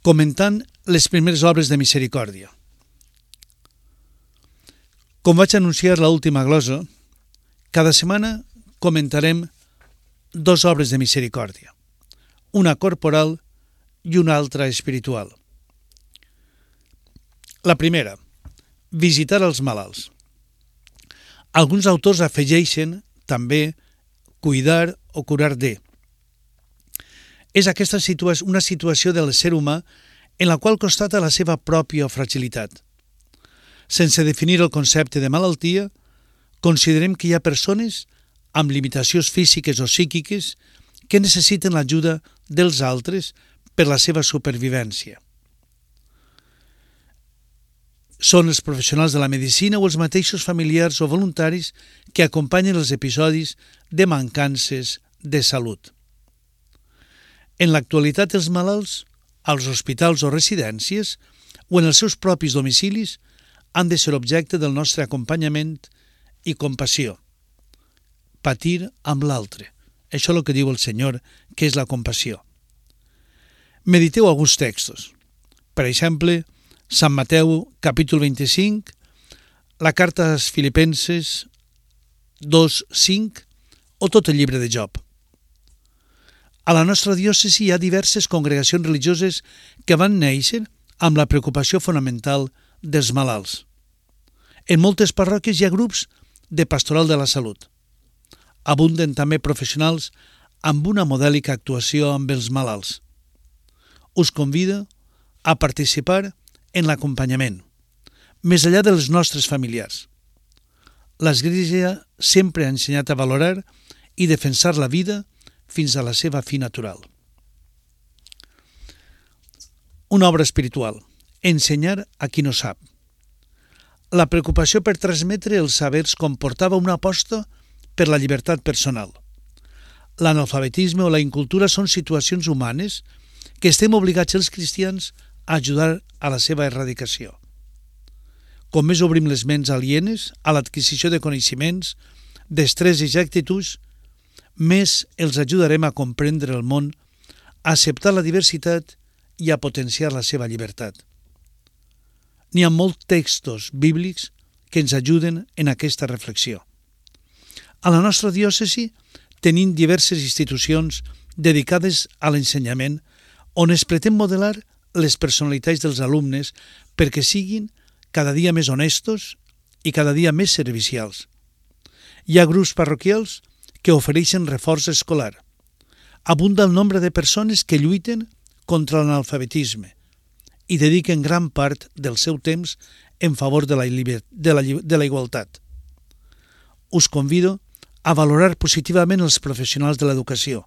comentant les primeres obres de misericòrdia. Com vaig anunciar a l'última glosa, cada setmana comentarem 2 obres de misericòrdia, una corporal i una altra espiritual. La primera, visitar els malalts. Alguns autors afegeixen també cuidar o curar de. És aquesta una situació del ser humà en la qual constata la seva pròpia fragilitat. Sense definir el concepte de malaltia, considerem que hi ha persones amb limitacions físiques o psíquiques que necessiten l'ajuda dels altres per la seva supervivència. Són els professionals de la medicina o els mateixos familiars o voluntaris que acompanyen els episodis de mancances de salut. En l'actualitat, els malalts, als hospitals o residències o en els seus propis domicilis han de ser objecte del nostre acompanyament i compassió. Patir amb l'altre. Això és el que diu el Senyor, que és la compassió. Mediteu alguns textos. Per exemple, Sant Mateu, capítol 25, la carta als Filipenses 2:5 o tot el llibre de Job. A la nostra diòcesi hi ha diverses congregacions religioses que van néixer amb la preocupació fonamental dels malalts. En moltes parròquies hi ha grups de pastoral de la salut. Abunden també professionals amb una modèlica actuació amb els malalts. Us convido a participar en l'acompanyament, més enllà dels nostres familiars. L'Església sempre ha ensenyat a valorar i defensar la vida fins a la seva fi natural. Una obra espiritual. Ensenyar a qui no sap. La preocupació per transmetre els sabers comportava una aposta per la llibertat personal. L'analfabetisme o la incultura són situacions humanes que estem obligats els cristians a ajudar a la seva erradicació. Com més obrim les ments alienes a l'adquisició de coneixements, destreses i actituds, més els ajudarem a comprendre el món, a acceptar la diversitat i a potenciar la seva llibertat. N'hi ha molts textos bíblics que ens ajuden en aquesta reflexió. A la nostra diòcesi tenim diverses institucions dedicades a l'ensenyament on es pretén modelar les personalitats dels alumnes perquè siguin cada dia més honestos i cada dia més servicials. Hi ha grups parroquials que ofereixen reforç escolar. Abunda el nombre de persones que lluiten contra l'analfabetisme i dediquen gran part del seu temps en favor de la igualtat. Us convido a valorar positivament els professionals de l'educació,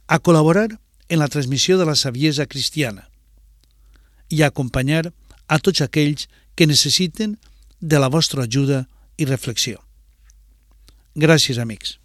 a col·laborar en la transmissió de la saviesa cristiana i a acompanyar a tots aquells que necessiten de la vostra ajuda i reflexió. Gràcies, amics.